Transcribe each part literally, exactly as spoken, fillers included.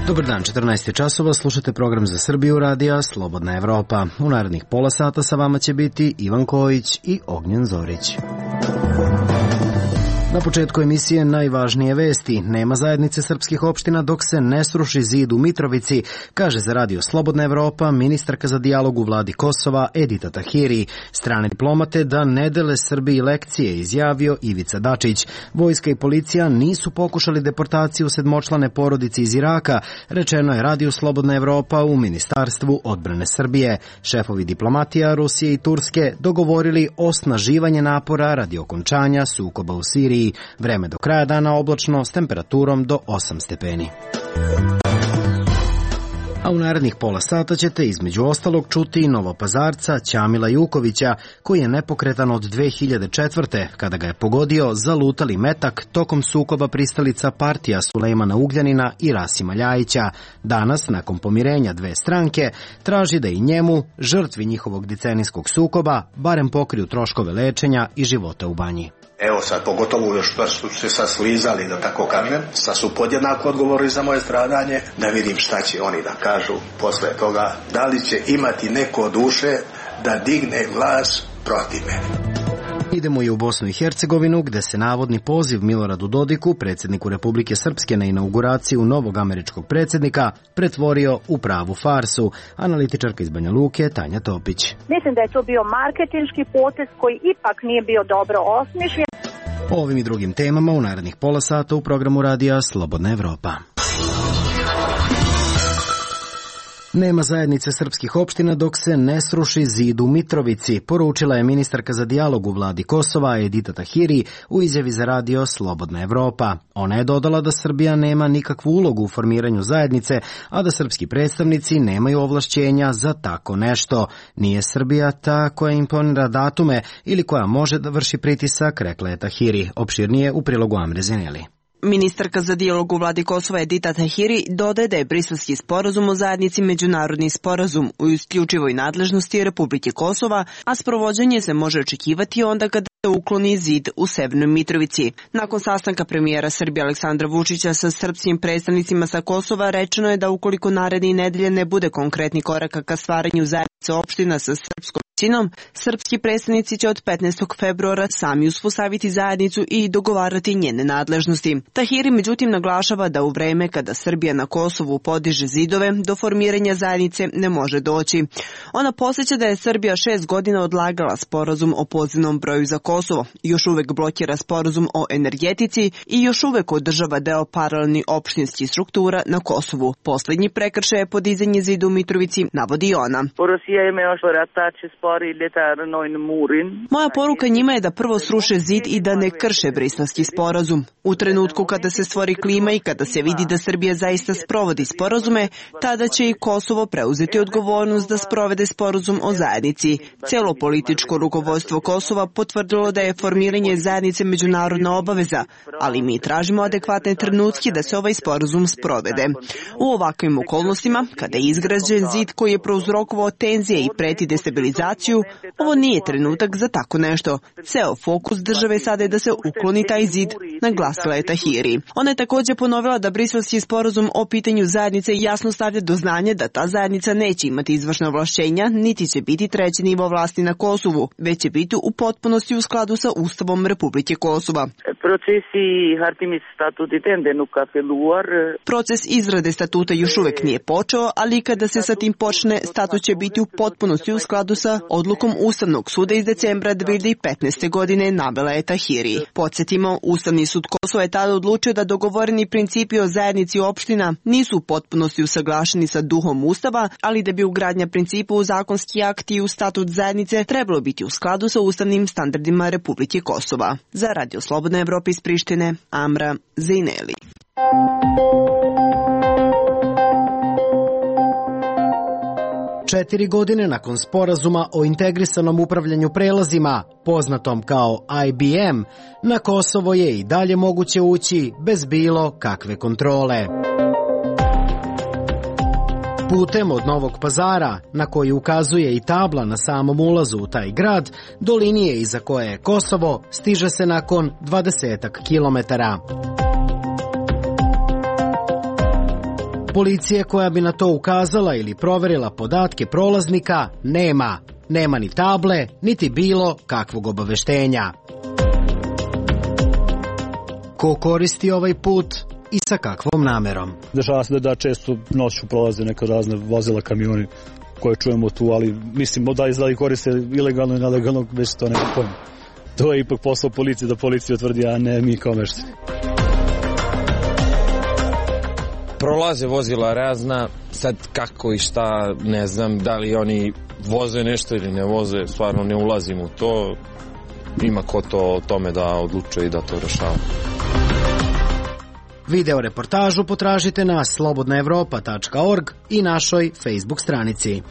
Dobar dan, četrnaest je časova, slušate program za Srbiju radija Slobodna Evropa. U narednih pola sata sa vama će biti Ivan Kojić i Ognjen Zorić. Na početku emisije najvažnije vesti. Nema zajednice srpskih opština dok se ne sruši zid u Mitrovici, kaže za radio Slobodna Evropa ministarka za dijalog u vladi Kosova Edita Tahiri. Strane diplomate da ne dele Srbiji lekcije, izjavio Ivica Dačić. Vojska i policija nisu pokušali deportaciju sedmočlane porodice iz Iraka, rečeno je radio Slobodna Evropa u Ministarstvu odbrane Srbije. Šefovi diplomatija Rusije i Turske dogovorili osnaživanje napora radi okončanja sukoba u Siriji. Vreme do kraja dana oblačno s temperaturom do osam stepeni. A u narednih pola sata ćete između ostalog čuti Novopazarca Ćamila Jukovića, koji je nepokretan od dve hiljade četvrte. kada ga je pogodio zalutali metak tokom sukoba pristalica partija Sulejmana Ugljanina i Rasima Ljajića. Danas, nakon pomirenja dve stranke, traži da i njemu, žrtvi njihovog decenijskog sukoba, barem pokriju troškove lečenja i života u banji. Evo sad, pogotovo još što su se sad slizali, da tako kažem, sad su podjednako odgovorili za moje stradanje, da vidim šta će oni da kažu posle toga, da li će imati neko duše da digne glas protiv mene. Idemo i u Bosnu i Hercegovinu, gde se navodni poziv Miloradu Dodiku, predsjedniku Republike Srpske, na inauguraciju novog američkog predsjednika pretvorio u pravu farsu. Analitičarka iz Banja Luke Tanja Topić. Mislim da je to bio marketinški potez koji ipak nije bio dobro osmišljen. O ovim i drugim temama u narednih pola sata u programu radija Slobodna Evropa. Nema zajednice srpskih opština dok se ne sruši zid u Mitrovici, poručila je ministarka za dijalog u vladi Kosova Edita Tahiri u izjavi za radio Slobodna Evropa. Ona je dodala da Srbija nema nikakvu ulogu u formiranju zajednice, a da srpski predstavnici nemaju ovlašćenja za tako nešto. Nije Srbija ta koja imponira datume ili koja može da vrši pritisak, rekla je Tahiri. Opširnije u prilogu Amre Zeneli. Ministarka za dijalog u vladi Kosova Edita Tahiri dodaje da je Briselski sporazum o zajednici međunarodni sporazum u isključivoj nadležnosti Republike Kosova, a sprovođenje se može očekivati onda kada se ukloni zid u Severnoj Mitrovici. Nakon sastanka premijera Srbije Aleksandra Vučića sa srpskim predstavnicima sa Kosova, rečeno je da ukoliko naredne nedelje ne bude konkretni koraka ka stvaranju zajednice opština sa srpskom većinom, srpski predstavnici će od petnaestog februara sami uspostaviti zajednicu i dogovarati njene nadležnosti. Tahiri međutim naglašava da u vreme kada Srbija na Kosovu podiže zidove, do formiranja zajednice ne može doći. Ona podsjeća da je Srbija šest godina odlagala sporazum o pozivnom broju za Kosovo, još uvek blokira sporazum o energetici i još uvek održava deo paralelni opštinskih struktura na Kosovu. Poslednji prekršaj je podizanje zida u Mitrovici, navodi ona. Moja poruka njima je da prvo sruše zid i da ne krše Briselski sporazum. U trenutku kada se stvori klima i kada se vidi da Srbija zaista sprovodi sporazume, tada će i Kosovo preuzeti odgovornost da sprovede sporazum o zajednici. Celo političko rukovodstvo Kosova potvrdilo da je formiranje zajednice međunarodna obaveza, ali mi tražimo adekvatne trenutke da se ovaj sporazum sprovede. U ovakvim okolnostima, kada je izgrađen zid koji je prouzrokovao tenzije i preti destabilizaciju, ovo nije trenutak za tako nešto. Ceo fokus države sada je da se ukloni taj zid, naglasila je Tahiri. Ona je također ponovila da Briselski sporazum o pitanju zajednice jasno stavlja do znanja da ta zajednica neće imati izvršne ovlašćenja, niti će biti treći nivo vlasti na Kosovu, već će biti u potpunosti u skladu sa Ustavom Republike Kosova. Proces izrade statuta još uvek nije počeo, ali kada se sa tim počne, statut će biti u potpunosti u skladu sa odlukom Ustavnog suda iz decembra dve hiljade petnaeste. godine, navela je Tahiri. Podsjetimo, Ustavni sud Kosova je tada odlučio da dogovoreni principi o zajednici opština nisu u potpunosti usaglašeni sa duhom Ustava, ali da bi ugradnja principa u zakonski akt i u statut zajednice trebalo biti u skladu sa ustavnim standardima Republike Kosova. Za Radio Slobodna Evropa iz Prištine, Amra Zeneli. Četiri godine nakon sporazuma o integrisanom upravljanju prelazima, poznatom kao I B M, na Kosovo je i dalje moguće ući bez bilo kakve kontrole. Putem od Novog Pazara, na koji ukazuje i tabla na samom ulazu u taj grad, do linije iza koje je Kosovo, stiže se nakon dvadesetak kilometara. Policije koja bi na to ukazala ili proverila podatke prolaznika nema. Nema ni table, niti bilo kakvog obaveštenja. Ko koristi ovaj put i sa kakvom namerom? Dešava se da, da često noću prolaze neka razne vozila, kamioni koje čujemo tu, ali mislim da izgleda koriste ilegalno i nelegalno, već to nema pojma. To je ipak posao policije, da policija utvrdi, a ne mi kao meštani. Prolaze vozila razna, sad kako i šta, ne znam, da li oni voze nešto ili ne voze, stvarno ne ulazim u to. Ima ko to o tome da odlučuje i da to rešava. Video reportažu potražite na slobodna evropa tačka org i našoj Facebook stranici.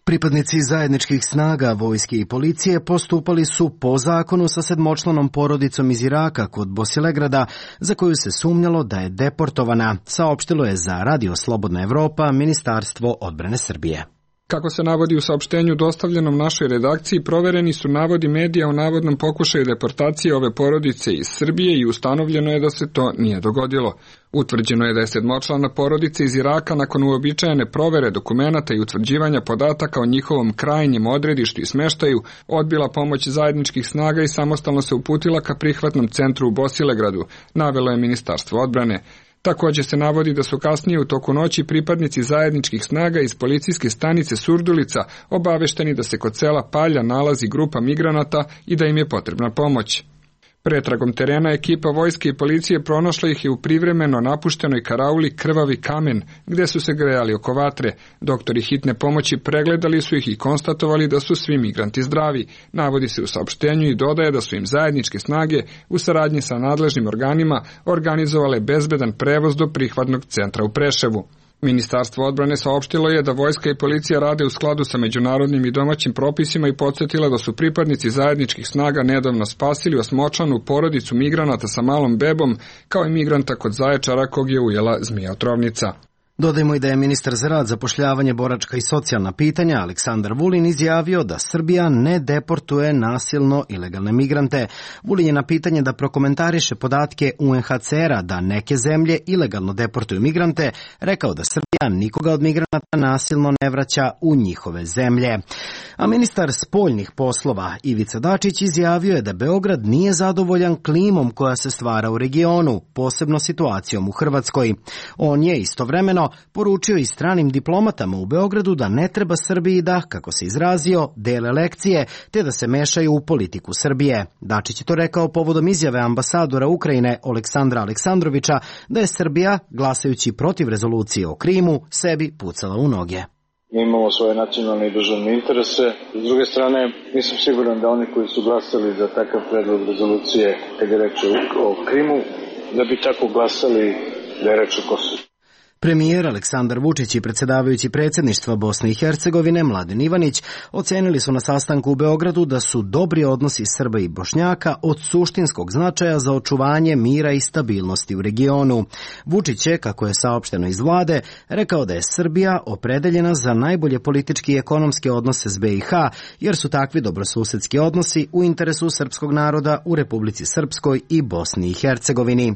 Pripadnici zajedničkih snaga, vojske i policije postupali su po zakonu sa sedmočlanom porodicom iz Iraka kod Bosilegrada, za koju se sumnjalo da je deportovana, saopštilo je za Radio Slobodna Evropa Ministarstvo odbrane Srbije. Kako se navodi u saopštenju dostavljenom našoj redakciji, provereni su navodi medija o navodnom pokušaju deportacije ove porodice iz Srbije i ustanovljeno je da se to nije dogodilo. Utvrđeno je da je sedmočlana porodica iz Iraka nakon uobičajene provere dokumenata i utvrđivanja podataka o njihovom krajnjem odredištu i smeštaju odbila pomoć zajedničkih snaga i samostalno se uputila ka prihvatnom centru u Bosilegradu, navelo je Ministarstvo odbrane. Također se navodi da su kasnije u toku noći pripadnici zajedničkih snaga iz policijske stanice Surdulica obavešteni da se kod sela Palja nalazi grupa migranata i da im je potrebna pomoć. Pretragom terena ekipa vojske i policije pronašla ih je u privremeno napuštenoj karauli Krvavi kamen, gde su se grejali oko vatre. Doktori hitne pomoći pregledali su ih i konstatovali da su svi migranti zdravi. Navodi se u saopštenju i dodaje da su im zajedničke snage u saradnji sa nadležnim organima organizovale bezbedan prevoz do prihvatnog centra u Preševu. Ministarstvo odbrane saopštilo je da vojska i policija rade u skladu sa međunarodnim i domaćim propisima i podsjetila da su pripadnici zajedničkih snaga nedavno spasili osmočlanu porodicu migranata sa malom bebom, kao i migranta kod Zaječara kog je ujela zmija otrovnica. Dodajmo i da je ministar za rad, zapošljavanje, boračka i socijalna pitanja Aleksandar Vulin izjavio da Srbija ne deportuje nasilno ilegalne migrante. Vulin je na pitanje da prokomentariše podatke U N H C R-a da neke zemlje ilegalno deportuju migrante, rekao da Srbija nikoga od migranata nasilno ne vraća u njihove zemlje. A ministar spoljnih poslova Ivica Dačić izjavio je da Beograd nije zadovoljan klimom koja se stvara u regionu, posebno situacijom u Hrvatskoj. On je istovremeno poručio i stranim diplomatama u Beogradu da ne treba Srbiji da, kako se izrazio, dele lekcije, te da se mešaju u politiku Srbije. Dačić je to rekao povodom izjave ambasadora Ukrajine Oleksandra Aleksandrovića da je Srbija, glasajući protiv rezolucije o Krimu, sebi pucala u noge. Mi imamo svoje nacionalne i državne interese. S druge strane, nisam siguran da oni koji su glasali za takav predlog rezolucije, kad je reč o Krimu, da bi tako glasali da je reč o Kosovu. Premijer Aleksandar Vučić i predsjedavajući predsjedništva Bosne i Hercegovine Mladen Ivanić ocenili su na sastanku u Beogradu da su dobri odnosi Srba i Bošnjaka od suštinskog značaja za očuvanje mira i stabilnosti u regionu. Vučić je, kako je saopšteno iz vlade, rekao da je Srbija opredeljena za najbolje politički i ekonomske odnose s B i H, jer su takvi dobrosusedski odnosi u interesu srpskog naroda u Republici Srpskoj i Bosni i Hercegovini.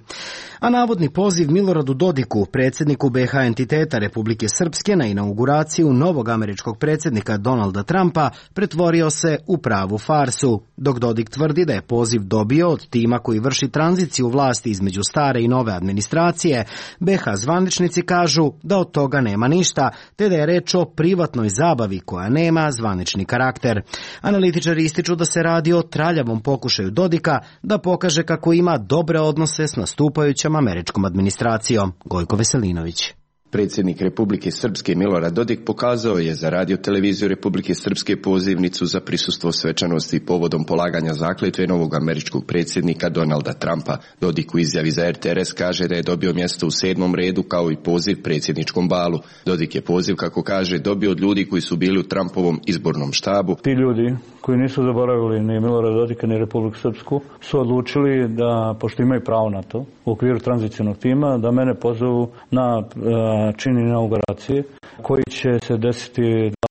A navodni poziv Miloradu Dodiku, predsjedniku B i H entiteta Republike Srpske, na inauguraciju novog američkog predsjednika Donalda Trumpa pretvorio se u pravu farsu, dok Dodik tvrdi da je poziv dobio od tima koji vrši tranziciju vlasti između stare i nove administracije. B i H zvaničnici kažu da od toga nema ništa, te da je reč o privatnoj zabavi koja nema zvanični karakter. Analitičari ističu da se radi o traljavom pokušaju Dodika da pokaže kako ima dobre odnose s nastupajućom američkom administracijom. Gojko Veselinović. Predsjednik Republike Srpske Milorad Dodik pokazao je za radio televiziju Republike Srpske pozivnicu za prisustvo svečanosti povodom polaganja zakletve novog američkog predsjednika Donalda Trumpa. Dodik u izjavi za R T R S kaže da je dobio mjesto u sedmom redu kao i poziv predsjedničkom balu. Dodik je poziv, kako kaže, dobio od ljudi koji su bili u Trumpovom izbornom štabu. Ti ljudi koji nisu zaboravili ni Milorada Dodika ni Republiku Srpsku su odlučili da, pošto imaju pravo na to, u okviru tranzicionog tima, da mene pozovu na čin inauguracije koji će se desiti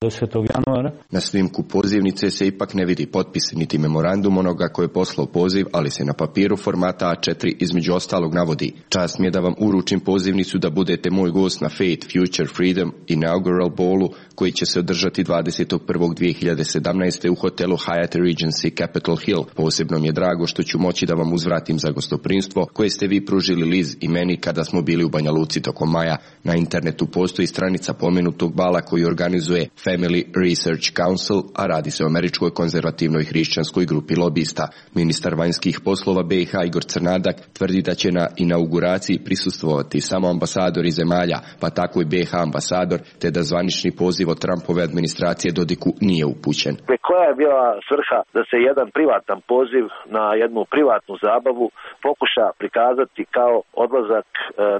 dvadesetog januara. Na snimku pozivnice se ipak ne vidi potpis niti memorandum onoga koji je poslao poziv, ali se na papiru formata A četiri između ostalog navodi: čast mi je da vam uručim pozivnicu da budete moj gost na Faith, Future, Freedom Inaugural Ballu koji će se održati dvadesetog prvog dve hiljade sedamnaeste. u hotelu Hyatt Regency Capitol Hill. Posebno mi je drago što ću moći da vam uzvratim za gostoprimstvo koje ste vi pružili Liz i meni kada smo bili u Banja Luci tokom maja. Na internetu postoji stranica pomenutog bala koju organizuje Family Research Council, a radi se o američkoj konzervativnoj hrišćanskoj grupi lobista. Ministar vanjskih poslova B i H Igor Crnadak tvrdi da će na inauguraciji prisustvovati samo ambasadori zemalja, pa tako i B i H ambasador, te da zvanični poziv od Trumpove administracije Dodiku nije upućen. Koja je bila svrha da se jedan privatan poziv na jednu privatnu zabavu pokuša prikazati kao odlazak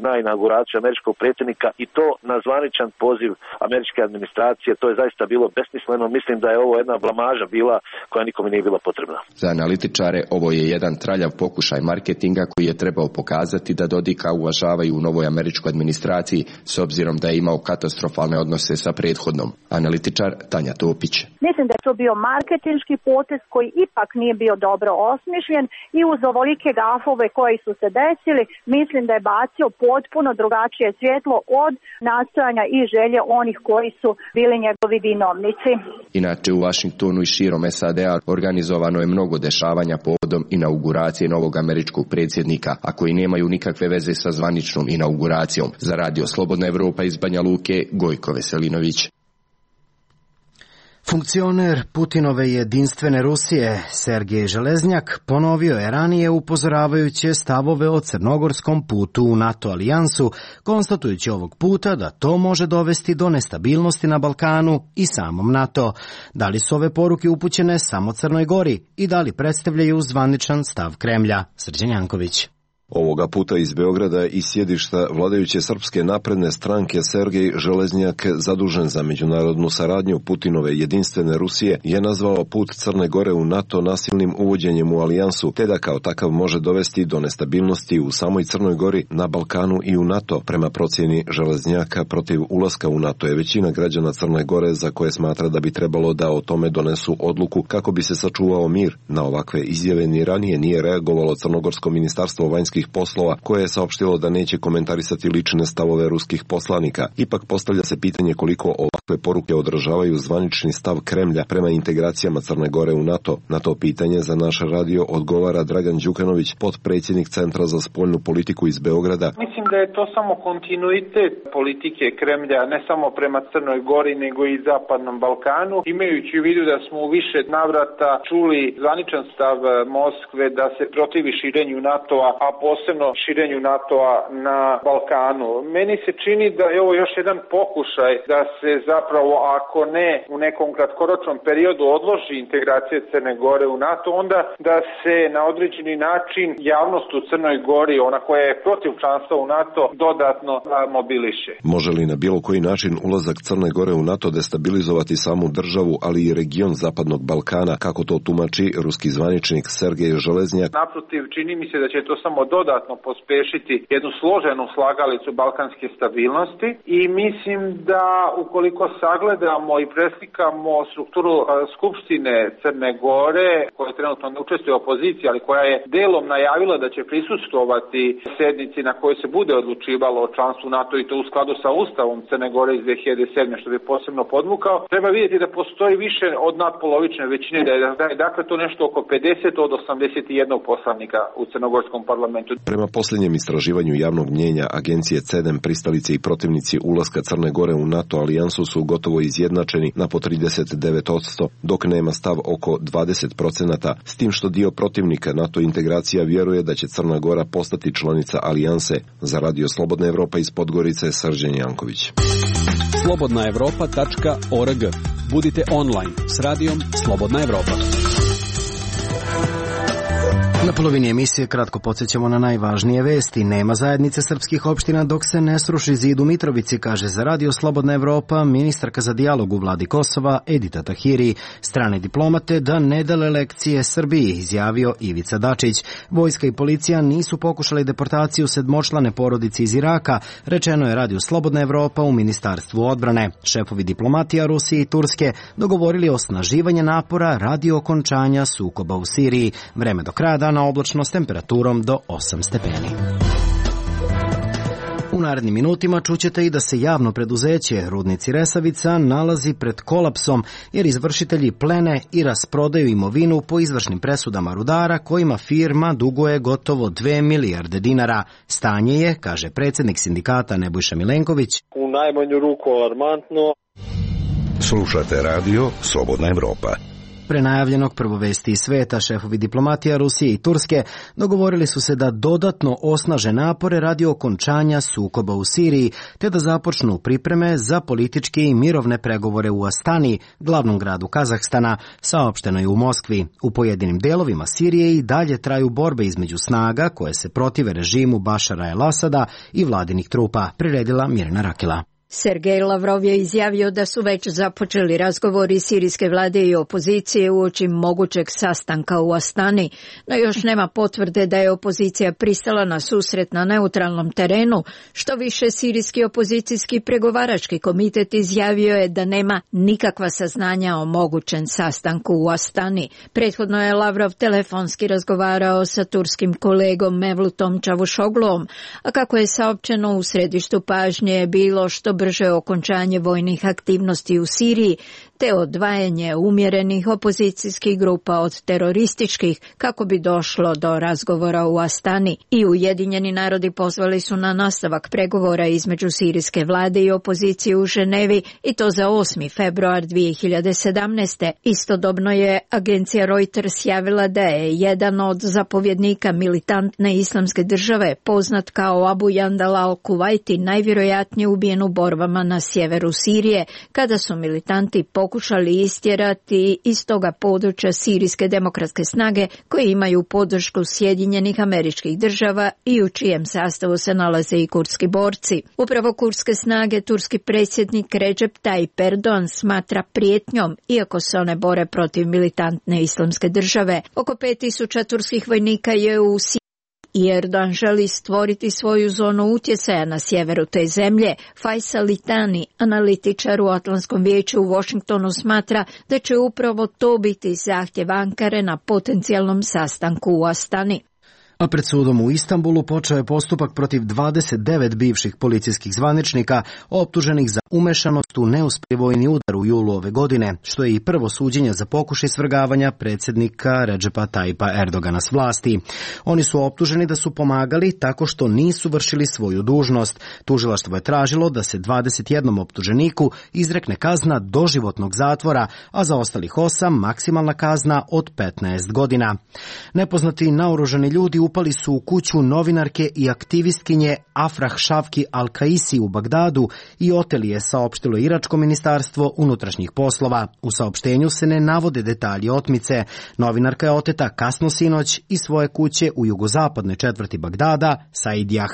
na inauguraciju američkog predsjednika i to na zvaničan poziv američke administracije? To je zaista bilo besmisleno. Mislim da je ovo jedna blamaža bila koja nikome nije bila potrebna. Za analitičare ovo je jedan traljav pokušaj marketinga koji je trebao pokazati da Dodika uvažavaju u novoj američkoj administraciji s obzirom da je imao katastrofalne odnose sa prethodnom. Analitičar Tanja Topić. Mislim da je to bio marketinški potez koji ipak nije bio dobro osmišljen i uz ovolike gafove koji su se desili, mislim da je bacio potpuno drugačije svjetlo od nastojanja i želje onih koji su bili njegovi vinovnici. Inače u Washingtonu i širom S A D-a organizovano je mnogo dešavanja povodom inauguracije novog američkog predsjednika, a koji nemaju nikakve veze sa zvaničnom inauguracijom. Za Radio Slobodna Evropa iz Banja Luke, Gojko Veselinović. Funkcioner Putinove jedinstvene Rusije Sergej Železnjak ponovio je ranije upozoravajuće stavove o crnogorskom putu u NATO alijansu, konstatujući ovog puta da to može dovesti do nestabilnosti na Balkanu i samom NATO. Da li su ove poruke upućene samo Crnoj Gori i da li predstavljaju zvaničan stav Kremlja? Srđan Janković. Ovoga puta iz Beograda i sjedišta vladajuće Srpske napredne stranke Sergej Železnjak, zadužen za međunarodnu saradnju Putinove jedinstvene Rusije, je nazvao put Crne Gore u NATO nasilnim uvođenjem u alijansu, te da kao takav može dovesti do nestabilnosti u samoj Crnoj Gori, na Balkanu i u NATO. Prema procjeni Železnjaka, protiv ulaska u NATO je većina građana Crne Gore, za koje smatra da bi trebalo da o tome donesu odluku kako bi se sačuvao mir. Na ovakve izjave ni ranije nije reagovalo Crnogorsko ministarstvo vanjskih poslova, koje je saopštilo da neće komentarisati lične stavove ruskih poslanika. Ipak postavlja se pitanje koliko ovakve poruke odražavaju zvanični stav Kremlja prema integracijama Crne Gore u NATO. Na to pitanje za naš radio odgovara Dragan Đukanović, potpredsjednik Centra za spoljnu politiku iz Beograda. Mislim da je to samo kontinuitet politike Kremlja, ne samo prema Crnoj Gori, nego i Zapadnom Balkanu, imajući u vidu da smo u više navrata čuli zvaničan stav Moskve da se protivi širenju NATO-a, a posebno širenju NATO-a na Balkanu. Meni se čini da je ovo još jedan pokušaj da se zapravo, ako ne u nekom kratkoročnom periodu odloži integracija Crne Gore u NATO, onda da se na određeni način javnost u Crnoj Gori, ona koja je protiv članstva u NATO, dodatno mobiliše. Može li na bilo koji način ulazak Crne Gore u NATO destabilizovati samu državu, ali i region Zapadnog Balkana, kako to tumači ruski zvaničnik Sergej Železnjak? Naprotiv, čini mi se da će to samo dodatno pospešiti jednu složenu slagalicu balkanske stabilnosti i mislim da ukoliko sagledamo i preslikamo strukturu Skupštine Crne Gore, koja trenutno ne učestvuje u opoziciji, ali koja je delom najavila da će prisustvovati sednici na kojoj se bude odlučivalo o članstvu NATO i to u skladu sa Ustavom Crne Gore iz dve hiljade sedme, što bi posebno podvukao, treba vidjeti da postoji više od nadpolovične većine, da je, da je dakle to nešto oko pedeset od osamdeset jedan poslanika u crnogorskom parlamentu. Prema posljednjem istraživanju javnog mnjenja agencije CEDEM, pristalice i protivnici ulaska Crne Gore u NATO alijansu su gotovo izjednačeni na po trideset devet posto, dok nema stav oko dvadeset posto, s tim što dio protivnika NATO integracija vjeruje da će Crna Gora postati članica alijanse. Za Radio Slobodna Evropa iz Podgorice, Srđan Janković. slobodna evropa tačka org. Budite online s radijom Slobodna Evropa. Na polovini emisije kratko podsjećamo na najvažnije vesti. Nema zajednice srpskih opština dok se ne sruši zid u Mitrovici, kaže za Radio Slobodna Evropa ministarka za dijalog u vladi Kosova Edita Tahiri. Strane diplomate da ne dele lekcije Srbiji, izjavio Ivica Dačić. Vojska i policija nisu pokušali deportaciju sedmočlane porodice iz Iraka, rečeno je Radio Slobodna Evropa u Ministarstvu odbrane. Šefovi diplomatija Rusije i Turske dogovorili osnaživanje napora radi okončanja sukoba u Siriji. Vreme do kraja dana oblačno s temperaturom do osam stepeni. U narednim minutima čućete i da se javno preduzeće Rudnici Resavica nalazi pred kolapsom jer izvršitelji plene i rasprodaju imovinu po izvršnim presudama rudara kojima firma duguje gotovo dve milijarde dinara. Stanje je, kaže predsjednik sindikata Nebojša Milenković, u najmanju ruku alarmantno. Slušate radio Slobodna Evropa. Pre najavljenog prvo vesti iz sveta, šefovi diplomatija Rusije i Turske dogovorili su se da dodatno osnaže napore radi okončanja sukoba u Siriji, te da započnu pripreme za političke i mirovne pregovore u Astani, glavnom gradu Kazahstana, saopšteno je u Moskvi. U pojedinim delovima Sirije i dalje traju borbe između snaga koje se protive režimu Bašara el-Asada i vladinih trupa, priredila Mirna Rakila. Sergej Lavrov je izjavio da su već započeli razgovori sirijske vlade i opozicije uoči mogućeg sastanka u Astani, no još nema potvrde da je opozicija pristala na susret na neutralnom terenu. Što više, sirijski opozicijski pregovarački komitet izjavio je da nema nikakva saznanja o mogućem sastanku u Astani. Prethodno je Lavrov telefonski razgovarao sa turskim kolegom Mevlutom Čavuşogluom, a kako je saopćeno, u središtu pažnje je bilo što brže okončanje vojnih aktivnosti u Siriji, te odvajanje umjerenih opozicijskih grupa od terorističkih kako bi došlo do razgovora u Astani. I Ujedinjeni narodi pozvali su na nastavak pregovora između sirijske vlade i opozicije u Ženevi, i to za osmi februar dvije hiljade sedamnaeste. Istodobno je agencija Reuters javila da je jedan od zapovjednika militantne islamske države, poznat kao Abu Jandal al-Kuwaiti, najvjerojatnije ubijen u borbama na sjeveru Sirije, kada su militanti pokušali istjerati iz toga područja sirijske demokratske snage koje imaju podršku Sjedinjenih Američkih Država i u čijem sastavu se nalaze i kurdski borci. Upravo kurdske snage turski predsjednik Recep Tayyip Erdogan smatra prijetnjom, iako se one bore protiv militantne islamske države. Oko pet tisuća turskih vojnika je u Siriji i Erdogan želi stvoriti svoju zonu utjecaja na sjeveru te zemlje. Faisal Litani, analitičar u Atlantskom vijeću u Washingtonu, smatra da će upravo to biti zahtjev Ankare na potencijalnom sastanku u Astani. A pred sudom u Istanbulu počeo je postupak protiv dvadeset devet bivših policijskih zvaničnika optuženih za umešanost u neuspjeli vojni udar u julu ove godine, što je i prvo suđenje za pokušaj svrgavanja predsjednika Recepa Tayyipa Erdogana s vlasti. Oni su optuženi da su pomagali tako što nisu vršili svoju dužnost. Tužilaštvo je tražilo da se dvadeset jednom optuženiku izrekne kazna doživotnog zatvora, a za ostalih osam maksimalna kazna od petnaest godina. Nepoznati naoružani ljudi upali su u kuću novinarke i aktivistkinje Afrah Šavki Al-Kaisi u Bagdadu i oteli je, saopštilo iračko ministarstvo unutrašnjih poslova. U saopštenju se ne navode detalji otmice. Novinarka je oteta kasno sinoć iz svoje kuće u jugozapadnoj četvrti Bagdada, Saidjah.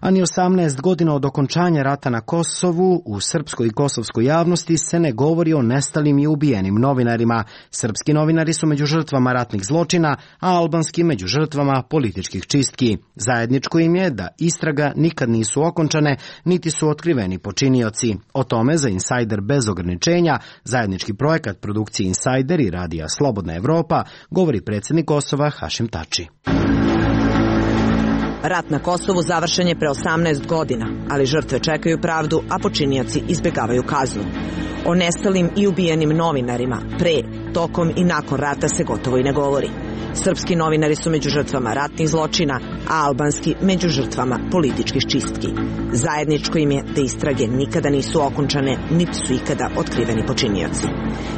A ni osamnaest godina od okončanja rata na Kosovu, u srpskoj i kosovskoj javnosti se ne govori o nestalim i ubijenim novinarima. Srpski novinari su među žrtvama ratnih zločina, a albanski među žrtvama političkih čistki. Zajedničko im je da istraga nikad nisu okončane, niti su otkriveni počinioci. O tome za Insider bez ograničenja, zajednički projekat produkcije Insider i radija Slobodna Evropa, govori predsjednik Kosova Hašim Tači. Rat na Kosovu završen je pre osamnaest godina, ali žrtve čekaju pravdu, a počinioci izbjegavaju kaznu. O nestalim i ubijenim novinarima pre, tokom i nakon rata se gotovo i ne govori. Srpski novinari su među žrtvama ratnih zločina, a albanski među žrtvama političkih čistki. Zajedničko im je da istrage nikada nisu okončane, niti su ikada otkriveni počinioci.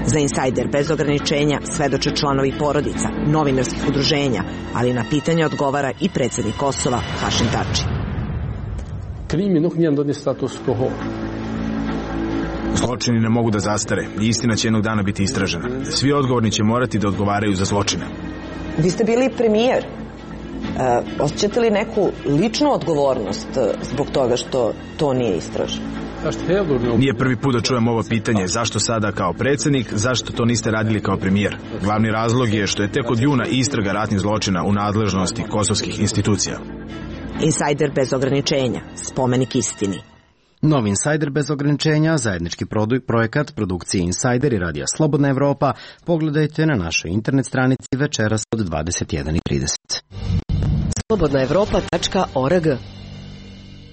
Za Insider bez ograničenja svedoče članovi porodica, novinarskih udruženja, ali na pitanje odgovara i predsjednik Kosova Hašim Tači. Krimi nuk njën do një status quo. Zločini ne mogu da zastare i istina će jednog dana biti istražena. Svi odgovorni će morati da odgovaraju za zločine. Vi ste bili premijer. E, osjećate li neku ličnu odgovornost zbog toga što to nije istraženo? Nije prvi put da čujem ovo pitanje, zašto sada kao predsjednik, zašto to niste radili kao premijer. Glavni razlog je što je tek od juna istraga ratnih zločina u nadležnosti kosovskih institucija. Insajder bez ograničenja, spomenik istini. Novi Insajder bez ograničenja, zajednički projekat produkcije Insajder i radija Slobodna Evropa, pogledajte na našoj internet stranici večeras od dvadeset jedan i trideset. slobodna evropa tačka org.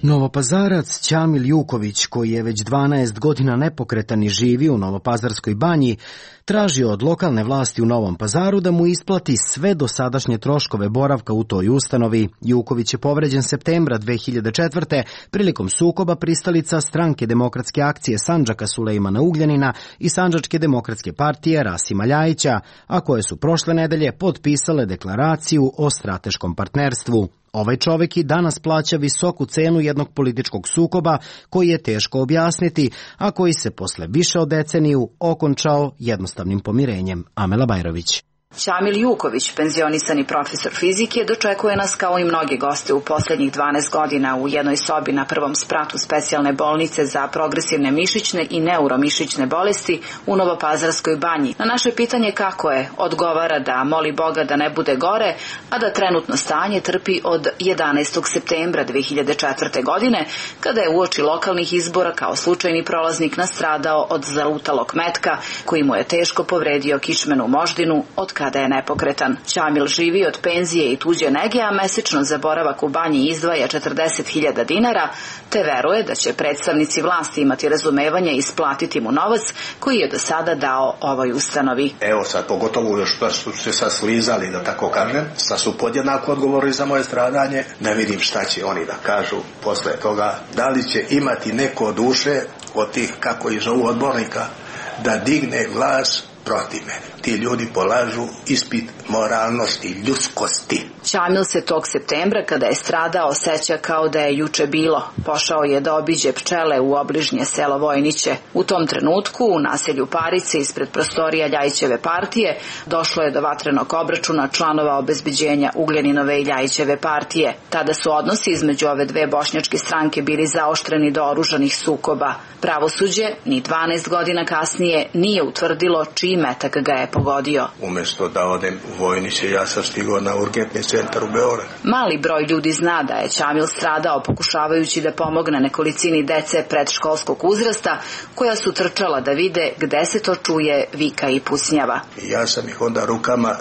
Novopazarac Ćamil Juković, koji je već dvanaest godina nepokretan i živi u Novopazarskoj banji, traži od lokalne vlasti u Novom Pazaru da mu isplati sve dosadašnje troškove boravka u toj ustanovi. Juković je povređen septembra dve hiljade četvrte. prilikom sukoba pristalica Stranke demokratske akcije Sandžaka Sulejmana Ugljanina i Sandžačke demokratske partije Rasima Ljajića, a koje su prošle nedelje potpisale deklaraciju o strateškom partnerstvu. Ovaj čovjek i danas plaća visoku cenu jednog političkog sukoba koji je teško objasniti, a koji se posle više od deceniju okončao jednostavnim pomirenjem. Amela Bajrović. Ćamil Juković, penzionisani profesor fizike, dočekuje nas kao i mnogi goste u posljednjih dvanaest godina u jednoj sobi na prvom spratu specijalne bolnice za progresivne mišićne i neuromišićne bolesti u Novopazarskoj banji. Na naše pitanje kako je, odgovara da moli Boga da ne bude gore, a da trenutno stanje trpi od jedanaestog septembra dve hiljade četvrte. godine, kada je uoči lokalnih izbora kao slučajni prolaznik nastradao od zalutalog metka koji mu je teško povredio kičmenu moždinu od kada je nepokretan. Ćamil živi od penzije i tuđe nege, a mesečno za boravak u banji izdvaja četrdeset hiljada dinara, te veruje da će predstavnici vlasti imati razumevanje i isplatiti mu novac koji je do sada dao ovoj ustanovi. Evo sad, pogotovo još što su se sad slizali, da tako kažem, sad su podjednako odgovorili za moje stradanje, da vidim šta će oni da kažu posle toga, da li će imati neko duše od tih, kako ih zovu, odbornika, da digne glas protiv mene. Ti ljudi polažu ispit moralnosti, ljudskosti. Ćamil se tog septembra, kada je stradao, seća kao da je juče bilo. Pošao je da obiđe pčele u obližnje selo Vojniće. U tom trenutku, u naselju Parice, ispred prostorija Ljajićeve partije, došlo je do vatrenog obračuna članova obezbeđenja Ugljaninove i Ljajićeve partije. Tada su odnosi između ove dve bošnjačke stranke bili zaoštreni do oružanih sukoba. Pravosuđe, ni dvanaest godina kasnije, nije utvrdilo čiji metak ga je pogodio. Umjesto da odem u Vojniće, ja sam stigao na urgentni centar u Beograd. Mali broj ljudi zna da je Ćamil stradao pokušavajući da pomogne nekolicini dece predškolskog uzrasta, koja su trčala da vide gde se to čuje vika i pucnjava. Ja sam ih onda rukama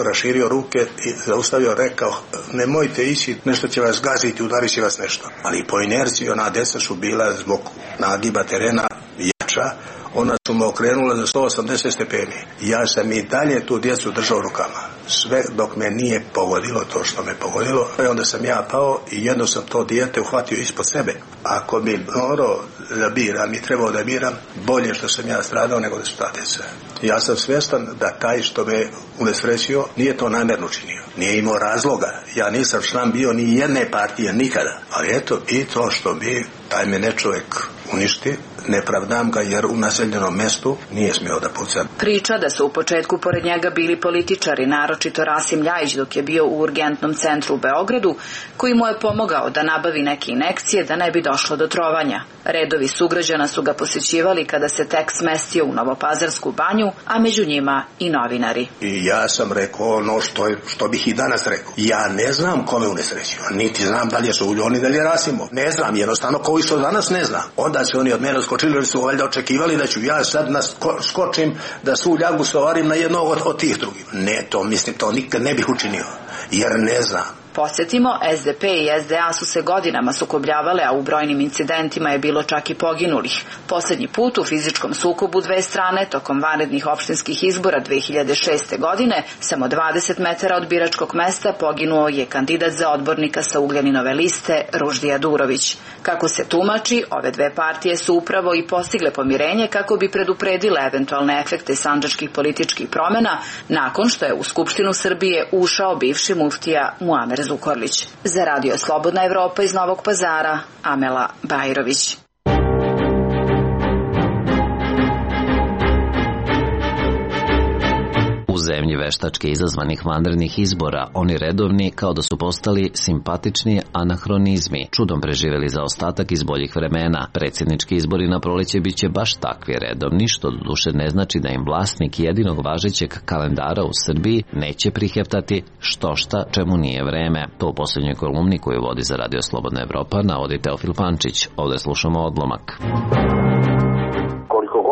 raširio ruke i zaustavio, rekao, nemojte ići, nešto će vas gaziti, udarit će vas nešto. Ali po inerciji ona deca su bila zbog nagiba terena jača, ona su me okrenula za sto osamdeset stepeni. Ja sam i dalje tu djecu držao rukama. Sve dok me nije pogodilo to što me pogodilo. I onda sam ja pao i jedno sam to dijete uhvatio ispod sebe. Ako bi morao da biram i trebao da biram, bolje što sam ja stradao nego da su ta djeca. Ja sam svjestan da taj što me unesrećio nije to namjerno činio. Nije imao razloga. Ja nisam član bio ni jedne partije nikada. Ali eto, i to što bi taj me ne čovjek uništi, ne pravdam ga jer u naseljenom mestu nije smio da puca. Priča da su u početku pored njega bili političari, naročito Rasim Ljajić dok je bio u urgentnom centru u Beogradu, koji mu je pomogao da nabavi neke injekcije da ne bi došlo do trovanja. Redovi sugrađana su ga posjećivali kada se tek smestio u Novopazarsku banju, a među njima i novinari. I ja sam rekao ono što, je, što bih i danas rekao. Ja ne znam kome unesrećio, niti znam da li je Suljon i da li je Rasimo. Ne znam, jednostavno koji što danas ne znam. Onda se oni od mene skočili jer su valjda očekivali da ću ja sad skočim da svu ljagu stvarim na jednog od, od tih drugih. Ne, to mislim, to nikad ne bih učinio, jer ne znam. Podsjetimo, S D P i S D A su se godinama sukobljavale, a u brojnim incidentima je bilo čak i poginulih. Poslednji put u fizičkom sukobu dve strane tokom vanrednih opštinskih izbora dve hiljade šeste. godine, samo dvadeset metara od biračkog mesta, poginuo je kandidat za odbornika sa Ugljaninove liste Ruždija Durović. Kako se tumači, ove dve partije su upravo i postigle pomirenje kako bi predupredile eventualne efekte sandžačkih političkih promena nakon što je u Skupštinu Srbije ušao bivši muftija Muamer Zukorlić. Za Radio Slobodna Evropa iz Novog Pazara, Amela Bajrović. U U zemlji veštačke izazvanih vanrednih izbora, oni redovni kao da su postali simpatični anahronizmi, čudom preživeli za ostatak iz boljih vremena. Predsjednički izbori na proleće biće baš takvi redovni, što doduše ne znači da im vlasnik jedinog važećeg kalendara u Srbiji neće priheftati što šta čemu nije vreme. To u posljednjoj kolumni koju vodi za Radio Slobodna Evropa navodi Teofil Pančić. Ovdje slušamo odlomak.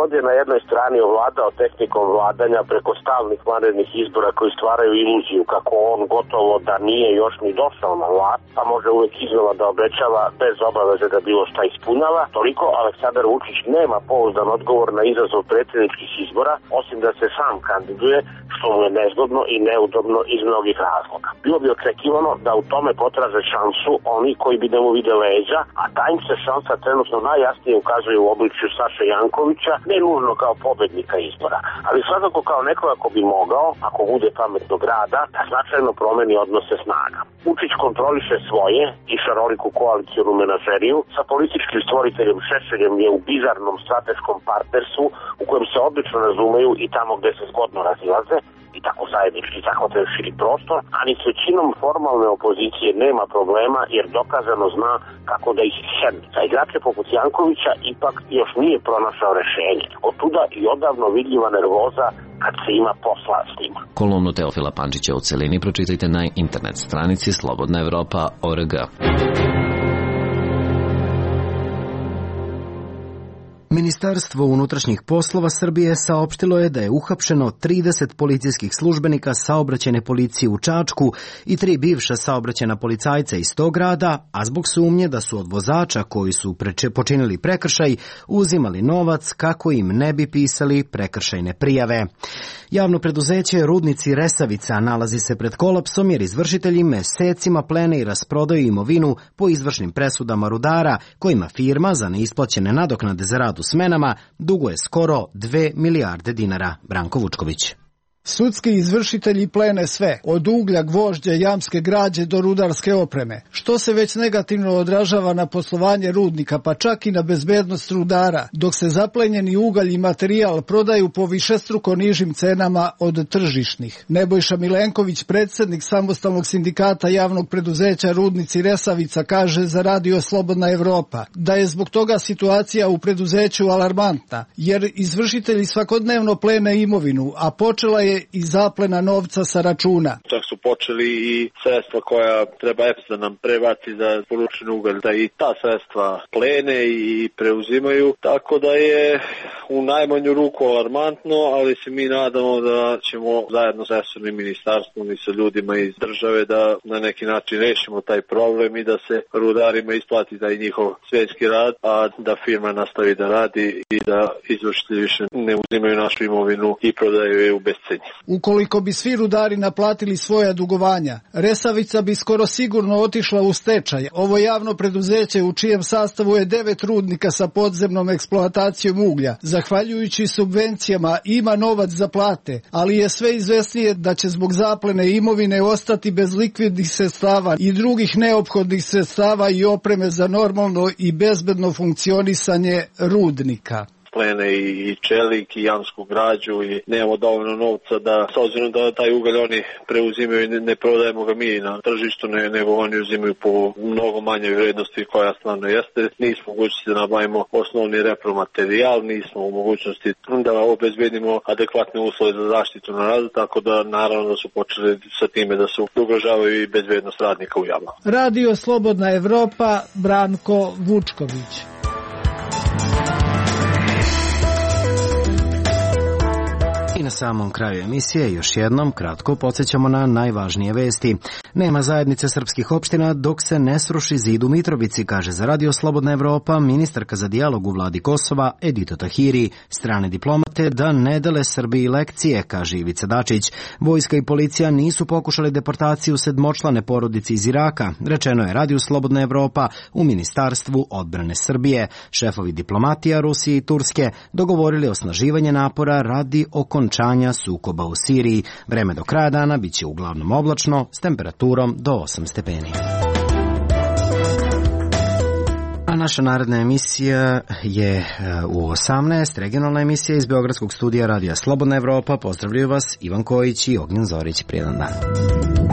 God je na jednoj strani ovladao tehnikom vladanja preko stalnih vanrednih izbora koji stvaraju iluziju kako on gotovo da nije još ni došao na vlast, pa može uvek iznova da obećava bez obaveze da bilo šta ispunjava, toliko Aleksandar Vučić nema pouzdan odgovor na izazov predsjedničkih izbora, osim da se sam kandiduje, što mu je nezgodno i neudobno iz mnogih razloga. Bilo bi očekivano da u tome potraže šansu oni koji bi da mu vide leđa, a ta im se šansa trenutno najjasnije ukazuje u obličju Saše Jankovića, ne nužno kao pobednika izbora, ali svakako kao nekoga ko bi mogao, ako bude pametnog rada, da značajno promeni odnose snaga. Vučić kontroliše svoje i šaroliku koalicijonu menažeriju, sa političkim stvoriteljem Šešeljem je u bizarnom strateškom partnerstvu u kojem se odlično razumeju i tamo gde se zgodno razilaze, i tako zajednički zahvataju širi prostor, a ni s većinom formalne opozicije nema problema jer dokazano zna kako da ih sedne. Za igrače poput Jankovića ipak još nije pronašao rešenje. Otuda i odavno vidljiva nervoza kad se ima posla s njima. Kolumnu Teofila Pančića u celini pročitajte na internet stranici slobodna evropa tačka org. Ministarstvo unutrašnjih poslova Srbije saopštilo je da je uhapšeno trideset policijskih službenika saobraćajne policije u Čačku i tri bivša saobraćajna policajca iz tog grada, a zbog sumnje da su od vozača koji su počinili prekršaj uzimali novac kako im ne bi pisali prekršajne prijave. Javno preduzeće Rudnici Resavica nalazi se pred kolapsom jer izvršitelji mesecima plene i rasprodaju imovinu po izvršnim presudama rudara kojima firma za neisplaćene nadoknade za rad u smenama duguje skoro dve milijarde dinara. Branko Vučković. Sudski izvršitelji plene sve, od uglja, gvožđa, jamske građe do rudarske opreme, što se već negativno odražava na poslovanje rudnika, pa čak i na bezbednost rudara, dok se zaplenjeni ugalj i materijal prodaju po višestruko nižim cenama od tržišnih. Nebojša Milenković, predsjednik samostalnog sindikata javnog preduzeća Rudnici Resavica, kaže za Radio Slobodna Evropa da je zbog toga situacija u preduzeću alarmantna, jer izvršitelji svakodnevno plene imovinu, a počela je i zaplena novca sa računa. Čak su počeli i sredstva koja treba E P S da nam prebaci za poručeni ugalj, da i ta sredstva plene i preuzimaju, tako da je u najmanju ruku alarmantno, ali se mi nadamo da ćemo zajedno sa resornim ministarstvom i sa ljudima iz države da na neki način rešimo taj problem i da se rudarima isplati taj njihov svjetski rad, a da firma nastavi da radi i da izvršitelji više ne uzimaju našu imovinu i prodaju je u bescenje. Ukoliko bi svi rudari naplatili svoja dugovanja, Resavica bi skoro sigurno otišla u stečaj. Ovo javno preduzeće u čijem sastavu je devet rudnika sa podzemnom eksploatacijom uglja, zahvaljujući subvencijama ima novac za plate, ali je sve izvesnije da će zbog zaplene imovine ostati bez likvidnih sredstava i drugih neophodnih sredstava i opreme za normalno i bezbedno funkcionisanje rudnika. Plene i čelik i jamsku građu i nemamo dovoljno novca da, s obzirom da taj ugalj oni preuzimaju i ne, ne prodajemo ga mi na tržištu, ne, nego oni uzimaju po mnogo manjoj vrednosti koja stvarno jeste. Nismo u mogućnosti da nabavimo osnovni repromaterijal, nismo u mogućnosti da obezbedimo adekvatne uslove za zaštitu na radu, tako da naravno da su počeli sa time da se ugrožavaju i bezbednost radnika u javama. Radio Slobodna Evropa, Branko Vučković. I na samom kraju emisije još jednom kratko podsjećamo na najvažnije vesti. Nema zajednice srpskih opština dok se ne sruši zid u Mitrovici, kaže za Radio Slobodna Evropa ministarka za dijalog u vladi Kosova Edita Tahiri. Strane diplomate da ne dele Srbiji lekcije, kaže Ivica Dačić. Vojska i policija nisu pokušali deportaciju sedmočlane porodice iz Iraka, rečeno je Radio Slobodna Evropa u Ministarstvu odbrane Srbije. Šefovi diplomatija Rusije i Turske dogovorili osnaživanje napora radi okončanja sukoba u Siriji. Vreme do kraja dana biće uglavnom oblačno s temperaturom do osam stepeni. A naša naredna emisija je u osamnaest, regionalna emisija iz Beogradskog studija Radija Slobodna Evropa. Pozdravljaju vas Ivan Kojić i Ognjen Zorić. Prijedan dan.